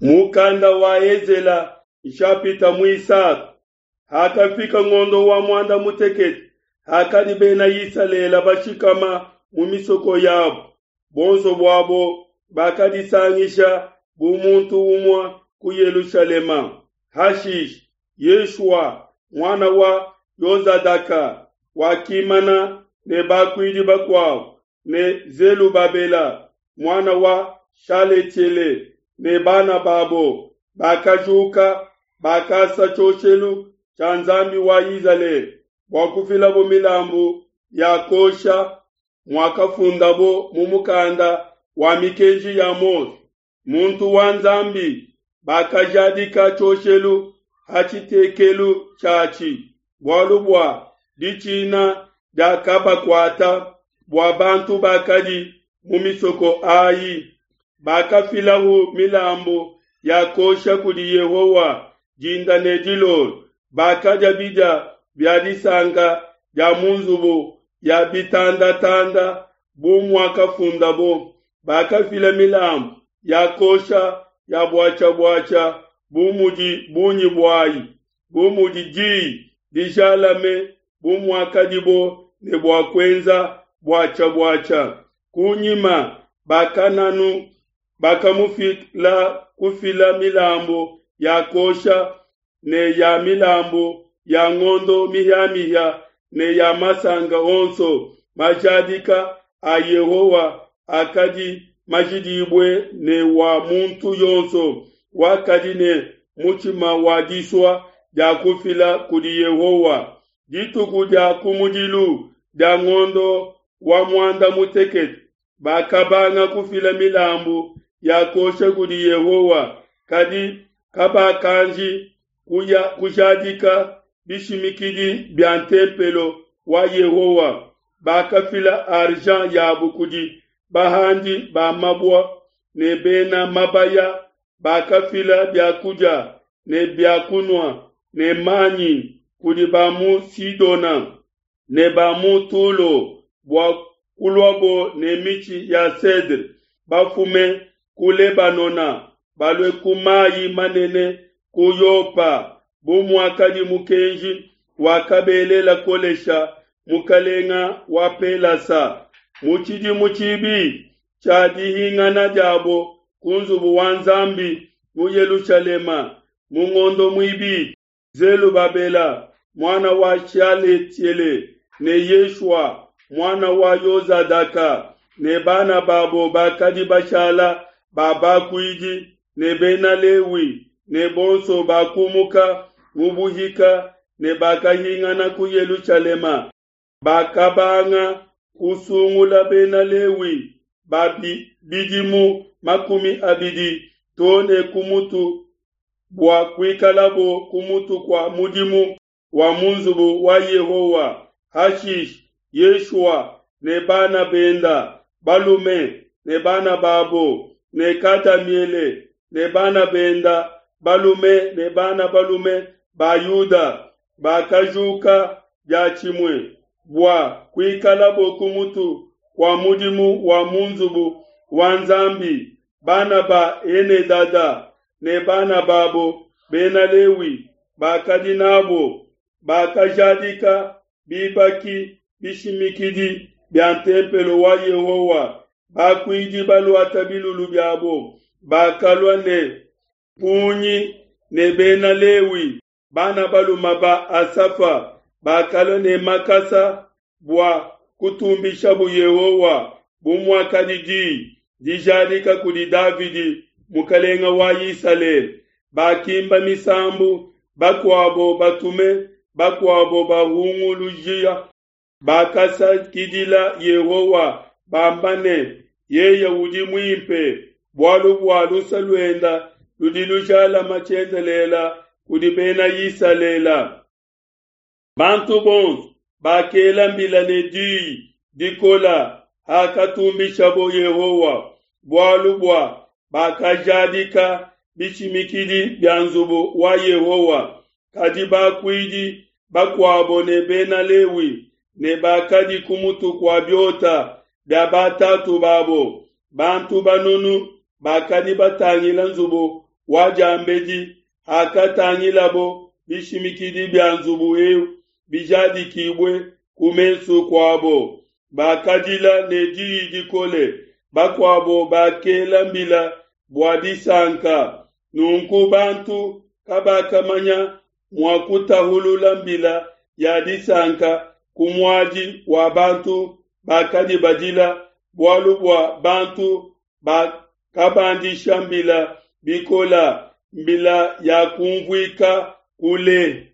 Mukanda wa Ezela nshapita muisatu. Hakafika ngondo wa muanda mutekete, hakadi Bena Isalele bashikama mu misoko yabo, buonso buabo bakadisangisha bu muntu umue ku Yelushalema. Hashishe Yeshua, muana wa Yozadaka, wakimana ne bakuidi bakuabo ne Zelubabela, muana wa Shaletiele, ne bana babo, bakajuka, bakasa tshioshelu tshia Nzambi wa Izalele bua kufilabo milambu ya kuosha muakafundabo mu mukanda wa mikenji ya Mose, muntu wa Nzambi. Bakajadika tshioshelu ha tshitekelu tshiatshi, bualu bua ditshina diakabakuata bua bantu bakadi mu misoko ayi. Bakafilahu milambu ya kuosha kudi Yehowa dinda ne dilolo. Bakadia bidia bia disanka dia mu nzubu ya bitandatanda bu muakafundabo. Bakafila milambu ya kuosha ya buatshia-buatshia bu mudi bungi buayi, bu mudi diyi dijalame bu muakadibo ne bua kuenza buatshia-buatshia. Kunyima bakananu bakamufila kufila milambu ya kuosha ne ya milambu ya ngondo mihia-mihia ne ya masanka onso majadika a Yehowa akadi majidibue ne wa muntu yonso wakadi ne mutshima wa disua dia kufila kudi Yehowa. Dituku dia kumudilu dia ngondo wa muanda mutekete bakabanga kufila milambu ya kuosha kudi Yehowa, kadi kabakanji kuya kujadika bishimikidi bia ntempelo wa Yehowa. Bakafila argent yabo kudi bahandi ba mabua ne bena mabaya, bakafila bia kudia ne bia kunua ne manyi kudi ba mu Sidona ne ba mu Tulo bua kuluabo ne mitshi ya cedre bafume ku Lebanona balue ku mayi manene ku Yopa, bu muakadi mukenji wakabelela Kolesha mukalenga wa Pelasa. Mu tshidimu tshibi tshia dihingana diabo ku nzubu wa Nzambi mu Yelushalema, mu ngondo muibidi, Zelubabela muana wa Shaletiele ne Yeshua muana wa Yozadaka ne bana babo bakadi bashala ba bakuidi ne bena Lewi ne bonso bakumuka mu buhika ne bakahingana ku Yelushalema, bakabanga kusungula bena Lewi ba bidimu 20 to ne ku mutu bua kuikalabo ku mutu kua mudimu wa mu nzubu wa Yehowa. Hashishe Yeshua ne bana benda balume ne bana babo ne Kadamiele ne bana benda balume ne bana balume ba Yuda bakajuka diatshimue bua kuikalabo ku mutu kua mudimu wa mu nzubu wa Nzambi. Bana ba Enedada ne bana babo bena Lewi bakadi nabo bakajadika bibaki bishimikidi bia ntempelo wa Yehowa. Bakuidi baluata bilulu biabo bakalua ne mpungi ne bena Lewi bana balume ba Asafa bakalua ne makasa bua kutumbishabu Yehowa bu muakadi diyi dijadika kudi Davidi mukalenga wa Isalele. Bakimba misambu, bakuabo batume, bakuabo bahungulujia. Bakasakidila Yehowa bamba ne, yeye udi muimpe, bualu bua luse luenda ludi lujalama tshiendelele kudi bena Isalele. Bantu bonso bakela mbila ne diyi dikola hakatumbishabo Yehowa, bualu bua bakajadika bishimikidi bia nzubu wa Yehowa. Kadi bakuidi bakuabo ne bena Lewi ne bakadi ku mutu kua biota bia batatu babo, bantu banunu bakadi batangila nzubu wa diambedi, hakatangilabo bishimikidi bia nzubu eu bijadikibue ku mesu kuabo, bakadila ne diyi dikole, bakuabo bakela mbila bua disanka. Nunku bantu kabakamanya mua kutahulula mbila ya disanka ku muadi wa bantu bakadi badila, bualu bua bantu bakabandisha mbila bikole, mbila yakunvuika kule.